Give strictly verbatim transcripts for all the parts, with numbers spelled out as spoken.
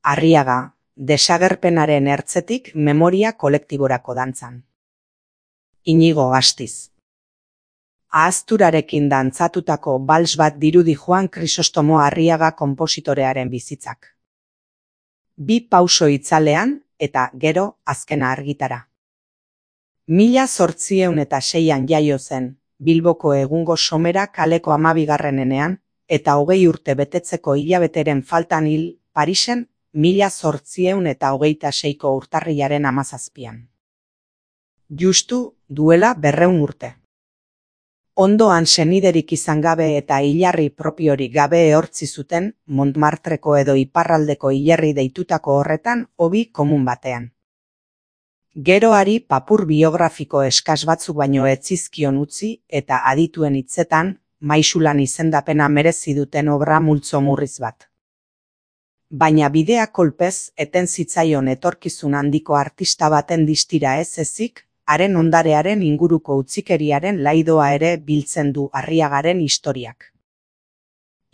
Arriaga, desagerpenaren ertzetik memoria kolektiborako dantzan. Inigo Astiz. Ahazturarekin dantzatutako bals bat dirudi Juan Krisostomo Arriaga konpositorearen bizitzak. Bi pauso itzalean eta gero azkena argitara. Mila zortziehun eta seian jaio zen, Bilboko egungo Somera kaleko hamabigarrenean, eta hogei urte betetzeko hilabeteren faltan hil Parisen, mila zortziehun eta hogeita seiko urtarrilaren hamazazpian. Justu duela berrehun urte. Ondoan seniderik izan gabe eta hilarri propiorik gabe ehortzi zuten Montmartreko edo iparraldeko hilerri deitutako horretan hobi komun batean. Geroari papur biografiko eskas batzuk baino ez zizkion utzi eta adituen hitzetan maisulan izendapena merezi duten obra multzo murriz bat. Baina bidea kolpez eten zitzaion etorkizun handiko artista baten distira ez ezik, haren ondarearen inguruko utzikeriaren laidoa ere biltzen du Arriagaren historiak.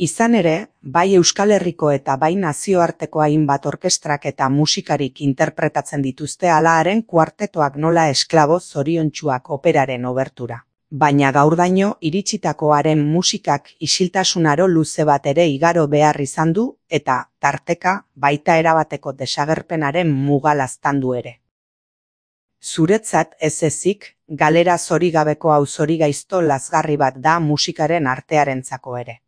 Izan ere, bai Euskal Herriko eta bai nazioarteko hainbat orkestrak eta musikarik interpretatzen dituzte hala haren kuartetoak nola esklabo zoriontsuak operaren obertura. Baina gaurdaino iritsitako haren musikak isiltasunaro luze bat ere igaro behar izan du eta tarteka baita erabateko desagerpenaren muga laztandu ere. Zuretzat ez ezik, galera zorigabeko hau zorigaizto lazgarri bat da musikaren artearentzako ere.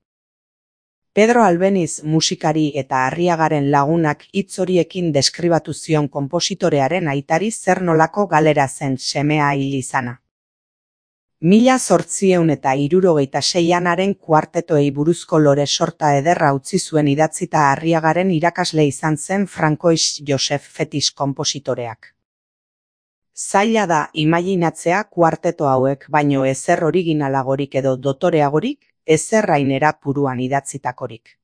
Pedro Albeniz musikari eta Arriagaren lagunak hitz horiekin deskribatu zion konpositorearen aitari zer nolako galera zen semea hil izana. Mila zortziehun eta hirurogeita seian haren kuartetoei buruzko lore sorta ederra utzi zuen idatzita Arriagaren irakasle izan zen Francois Joseph Fetis konpositoreak. Zaila da imaginatzea kuarteto hauek baino ezer originalagorik edo dotoreagorik, ezer rainera puruan idatzitakorik.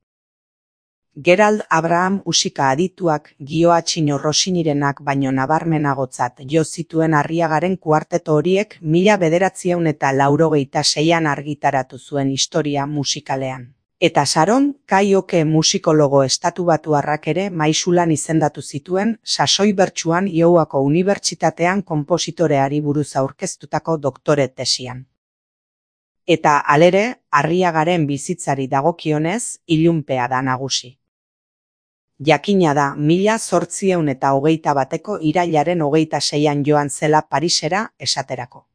Gerald Abraham musika adituak Gioachino Rossinirenak baino nabarmenagotzat jo zituen Arriagaren kuarteto horiek mila bederatzieun eta laurogeita seian argitaratu zuen historia musikalean. Eta Sharon Kaioke musikologo estatubatuarrak ere maisulan izendatu zituen sasoi bertsuan Iowako Unibertsitatean konpositoreari buruz aurkeztutako doktore tesian. Eta halere, Arriagaren bizitzari dagokionez, ilunpea da nagusi. Jakina da mila zortziehun eta hogeita bateko irailaren hogeita seian joan zela Parisera esaterako.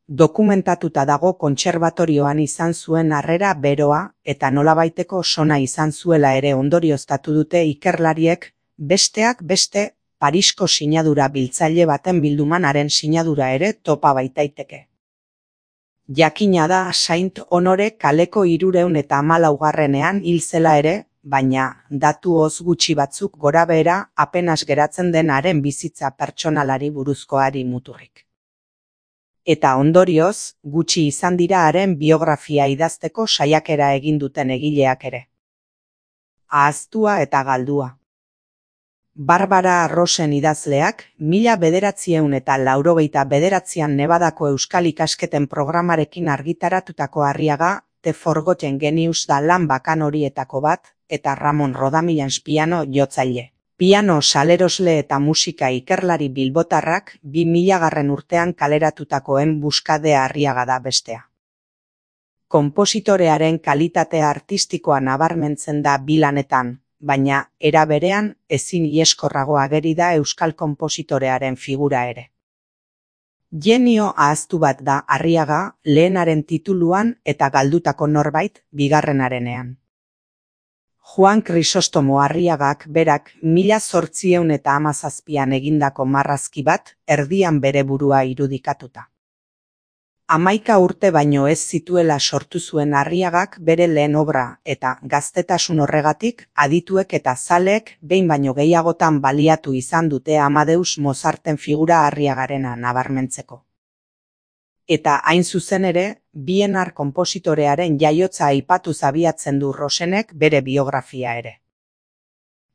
Dokumentatuta dago kontserbatorioan izan zuen harrera beroa eta nolabaiteko sona izan zuela ere ondorioztatu dute ikerlariek, besteak beste Parisko sinadura biltzaile baten bilduman haren sinadura ere topa baitaiteke. Jakina da Saint Honore kaleko hirurehun eta hamalaugarrenean hil zela ere, baina datu oz gutxi batzuk gorabehera apenas geratzen den haren bizitza pertsonalari buruzkoari muturrik. Eta ondorioz, gutxi izan dira haren biografia idazteko saiakera egin duten egileak ere. Ahaztua eta galdua. Barbara Rosen idazleak, mila bederatziehun eta laurogeita bederatzian Nevadako Euskal ikasketen programarekin argitaratutako Arriaga, The Forgotten Genius da lan bakan horietako bat, eta Ramon Rodamilans piano jotzaile. Piano salerosle eta musika ikerlari bilbotarrak bi milagarren urtean kaleratutakoen buskadea Arriaga da bestea. Konpositorearen kalitatea artistikoa nabarmentzen da bi lanetan, baina era berean ezin ieskorrago ageri da euskal konpositorearen figura ere. Genio ahaztu bat da Arriaga lehenaren tituluan eta galdutako norbait bigarrenarenean. Juan Krisostomo Arriagak berak mila zortziehun eta hamazazpian egindako marrazki bat erdian bere burua irudikatuta. Hamaika urte baino ez zituela sortu zuen Arriagak bere lehen obra eta gaztetasun horregatik adituek eta zaleek behin baino gehiagotan baliatu izan dute Amadeus Mozarten figura Arriagarena nabarmentzeko. Eta hain zuzen ere, Bienar konpositorearen jaiotza aipatuz abiatzen du Rosenek bere biografia ere.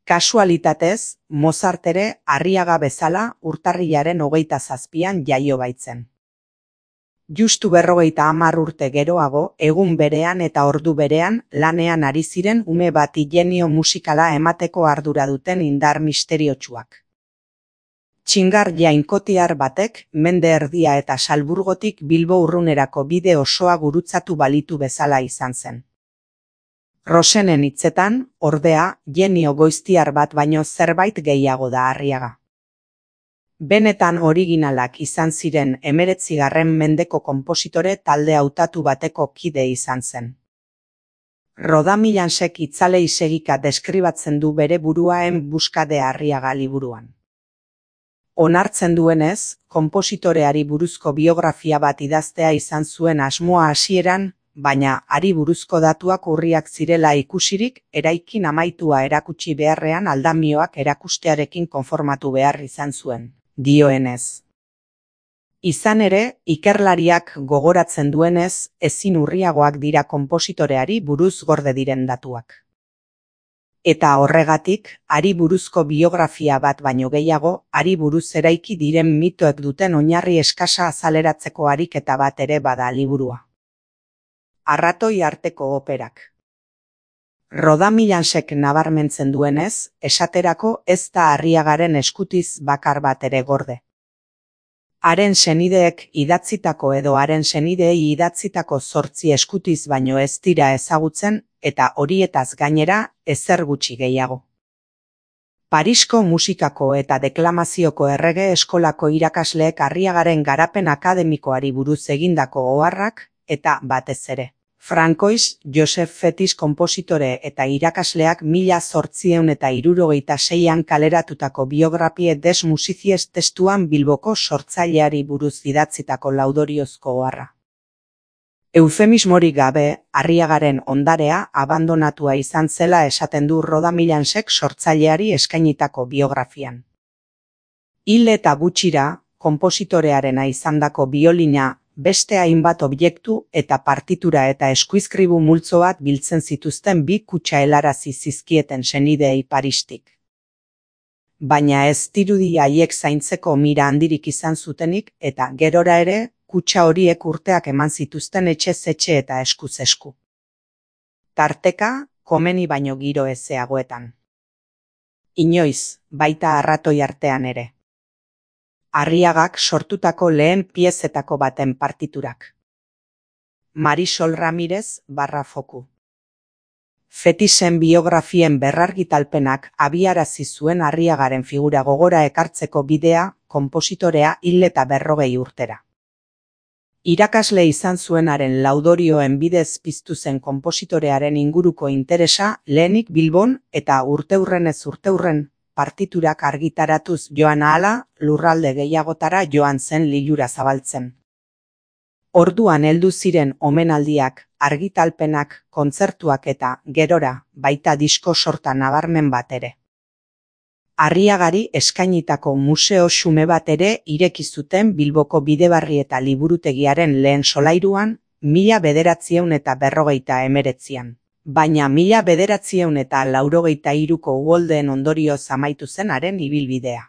Kasualitatez, Mozart ere Arriaga bezala urtarrilaren hogeita zazpian jaio baitzen. Justu berrogeita hamar urte geroago, egun berean eta ordu berean, lanean ari ziren ume bati genio musikala emateko ardura duten indar misteriotsuak. Txingar jainkotiar batek, mende erdia eta Salburgotik Bilbo urrunerako bide osoa gurutzatu balitu bezala izan zen. Rosenen hitzetan, ordea, genio goiztiar bat baino zerbait gehiago da Arriaga. Benetan originalak izan ziren hemeretzigarren mendeko konpositore talde hautatu bateko kide izan zen. Rodamilansek itzalei segika deskribatzen du bere buruaen buskade Arriaga liburuan. Onartzen duenez, konpositoreari buruzko biografia bat idaztea izan zuen asmoa hasieran, baina hari buruzko datuak urriak zirela ikusirik, eraikin amaitua erakutsi beharrean aldamioak erakustearekin konformatu behar izan zuen, dioenez. Izan ere, ikerlariak gogoratzen duenez, ezin urriagoak dira konpositoreari buruz gorde diren datuak. Eta horregatik, hari buruzko biografia bat baino gehiago, hari buruz eraiki diren mitoek duten oinarri eskasa azaleratzeko ariketa bat ere bada liburua. Arratoi arteko operak. Rodamilansek nabarmentzen duenez, esaterako ez da Arriagaren eskutiz bakar bat ere gorde. Haren senideek idatzitako edo haren senideei idatzitako zortzi eskutiz baino ez dira ezagutzen, eta horietaz gainera ezer gutxi gehiago. Parisko musikako eta deklamazioko errege eskolako irakasleek Arriagaren garapen akademikoari buruz egindako oharrak, eta batez ere. Francois Joseph Fetis konpositore eta irakasleak mila zortziehun eta hirurogeita seian kaleratutako biografie des musicies testuan Bilboko sortzaileari buruz idatzitako laudoriozko oharra. Eufemismorik gabe, Arriagaren ondarea abandonatua izan zela esaten du Rodamilansek sortzaileari eskainitako biografian. Hil eta gutxira, konpositorearena izandako biolina, beste hainbat objektu eta partitura eta eskuizkribu multzo bat biltzen zituzten bi kutxa helarazi zizkieten senideei Paristik. Baina ez dirudi haiek zaintzeko mira handirik izan zutenik eta gerora ere, kutxa horiek urteak eman zituzten etxez etxe eta eskuz esku. Tarteka, komeni baino giro ezeagoetan. Inoiz, baita arratoi artean ere. Arriagak sortutako lehen piezetako baten partiturak. Marisol Ramirez barra foku. Fetisen biografien berrargitalpenak abiarazi zuen Arriagaren figura gogora ekartzeko bidea, konpositorea hil eta berrogei urtera. Irakasle izan zuenaren laudorioen bidez piztu zen konpositorearen inguruko interesa lehenik Bilbon eta urteurrenez urteurren, partiturak argitaratuz joan ahala, lurralde gehiagotara joan zen lilura zabaltzen. Orduan heldu ziren omenaldiak, argitalpenak, kontzertuak eta, gerora, baita disko sorta nabarmen bat ere. Arriagari eskainitako museo xume bat ere ireki zuten Bilboko Bidebarri eta Liburutegiaren lehen solairuan, mila bederatziehun eta berrogeita hemeretzian. Baina mila bederatziehun eta laurogeita hiruko uholdeen ondorioz amaitu zen haren ibilbidea.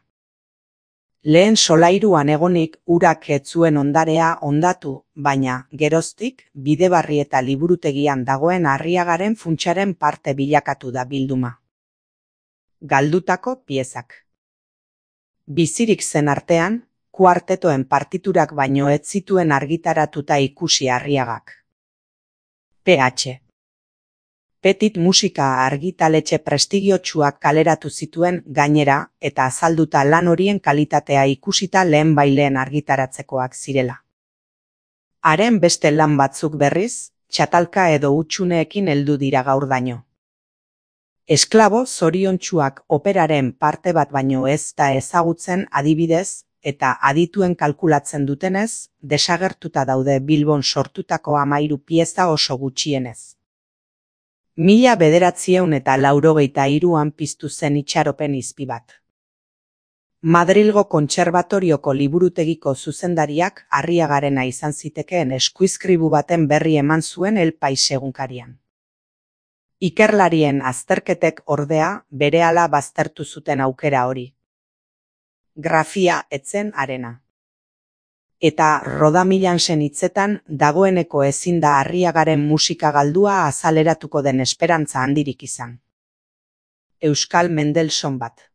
Lehen solairuan egonik urak ez zuen ondarea hondatu, baina, geroztik, Bidebarri eta Liburutegian dagoen Arriagaren funtsaren parte bilakatu da bilduma. Galdutako piezak. Bizirik zen artean, kuartetoen partiturak baino ez zituen argitaratuta ikusi Arriagak. P H Petit musika argitaletxe prestigiotsuak kaleratu zituen gainera eta azalduta lan horien kalitatea ikusita lehen baileen argitaratzekoak zirela. Haren beste lan batzuk berriz, txatalka edo hutsuneekin heldu dira gaurdaino. Esklabo zoriontsuak operaren parte bat baino ez da ezagutzen adibidez, eta adituen kalkulatzen dutenez, desagertuta daude Bilbon sortutako hamahiru pieza oso gutxienez. Mila bederatziehun eta laurogeita hiruan piztu zen itxaropen izpi bat. Madrilgo Kontserbatorioko liburutegiko zuzendariak Arriagarena izan zitekeen eskuizkribu baten berri eman zuen El Pais egunkarian. Ikerlarien azterketek ordea berehala baztertu zuten aukera hori. Grafia etzen harena. Eta Rodamillansen hitzetan dagoeneko ezin da Arriagaren musika galdua azaleratuko den esperantza handirik izan. Euskal Mendelssohn bat.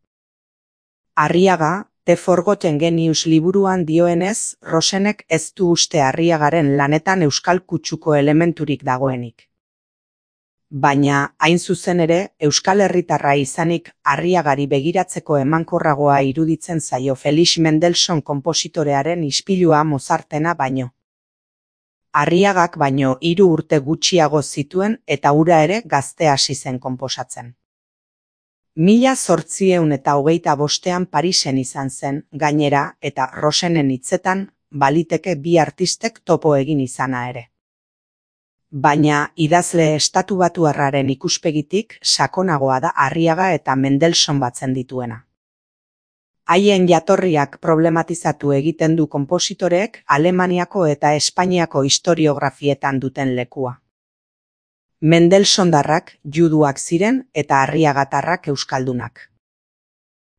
Arriaga, The Forgotten Genius liburuan dioenez, Rosenek ez du uste Arriagaren lanetan euskal kutsuko elementurik dagoenik. Baina, hain zuzen ere, euskal herritarra izanik Arriagari begiratzeko emankorragoa iruditzen zaio Felix Mendelssohn konpositorearen ispilua Mozartena baino. Arriagak baino hiru urte gutxiago zituen eta hura ere gazte hasi zen konposatzen. Mila zortziehun eta hogeita bostean Parisen izan zen, gainera, eta Rosenen hitzetan, baliteke bi artistek topo egin izana ere. Baina idazle estatubatuarraren ikuspegitik sakonagoa da Arriaga eta Mendelssohn batzen dituena. Haien jatorriak problematizatu egiten du konpositoreek Alemaniako eta Espainiako historiografietan duten lekua. Mendelssohndarrak juduak ziren eta Arriagatarrak euskaldunak.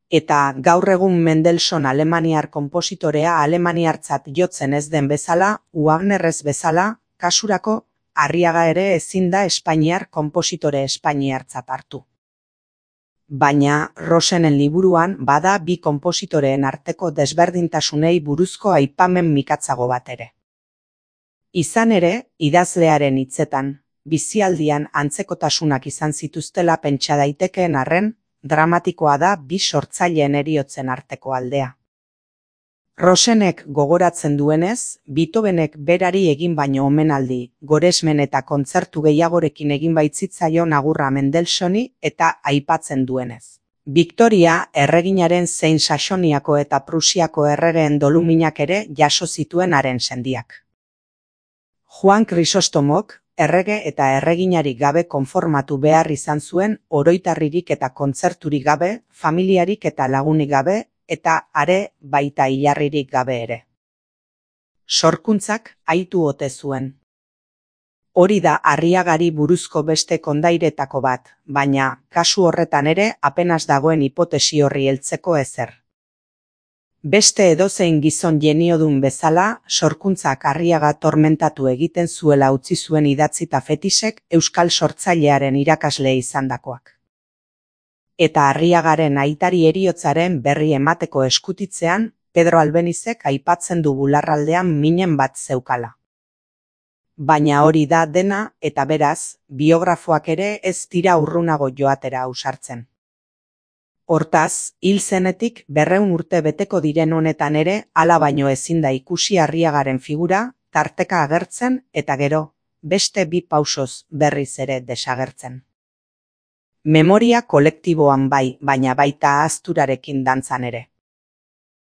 Eta gaur egun Mendelssohn alemaniar konpositorea alemaniartzat jotzen ez den bezala, Wagnerrez bezala, kasurako, Arriaga ere ezin da espainiar konpositore espainiartzat hartu. Baina Rosenen liburuan bada bi konpositoreen arteko desberdintasunei buruzko aipamen mikatzago bat ere. Izan ere, idazlearen hitzetan, bizialdian antzekotasunak izan zituztela pentsa daitekeen arren, dramatikoa da bi sortzaileen heriotzen arteko aldea. Rosenek gogoratzen duenez, Beethovenek berari egin baino omenaldi, goresmen eta kontzertu gehiagorekin egin baitzitzaio agurra Mendelssohni eta aipatzen duenez. Victoria erreginaren zein Saxoniako eta Prusiako erregeen doluminak ere jaso zituen haren sendiak. Juan Krisostomok, errege eta erreginarik gabe konformatu behar izan zuen oroitarririk eta kontzerturik gabe, familiarik eta lagunik gabe, eta are baita hilarririk gabe ere. Sorkuntzak aitu ote zuen. Hori da Arriagari buruzko beste kondairetako bat, baina kasu horretan ere apenas dagoen hipotesi horri heltzeko ezer. Beste edozein gizon jeniodun bezala, sorkuntzak Arriaga tormentatu egiten zuela utzi zuen idatzita Fetisek euskal sortzailearen irakasle izandakoak. Eta Arriagaren aitari heriotzaren berri emateko eskutitzean, Pedro Albenizek aipatzen du bularraldean minen bat zeukala. Baina hori da dena, eta beraz, biografoak ere ez dira urrunago joatera ausartzen. Hortaz, hil zenetik berrehun urte beteko diren honetan ere, hala baino ezin da ikusi Arriagaren figura, tarteka agertzen eta gero, beste bi pausoz berriz ere desagertzen. Memoria kolektiboan bai, baina baita ahazturarekin dantzan ere.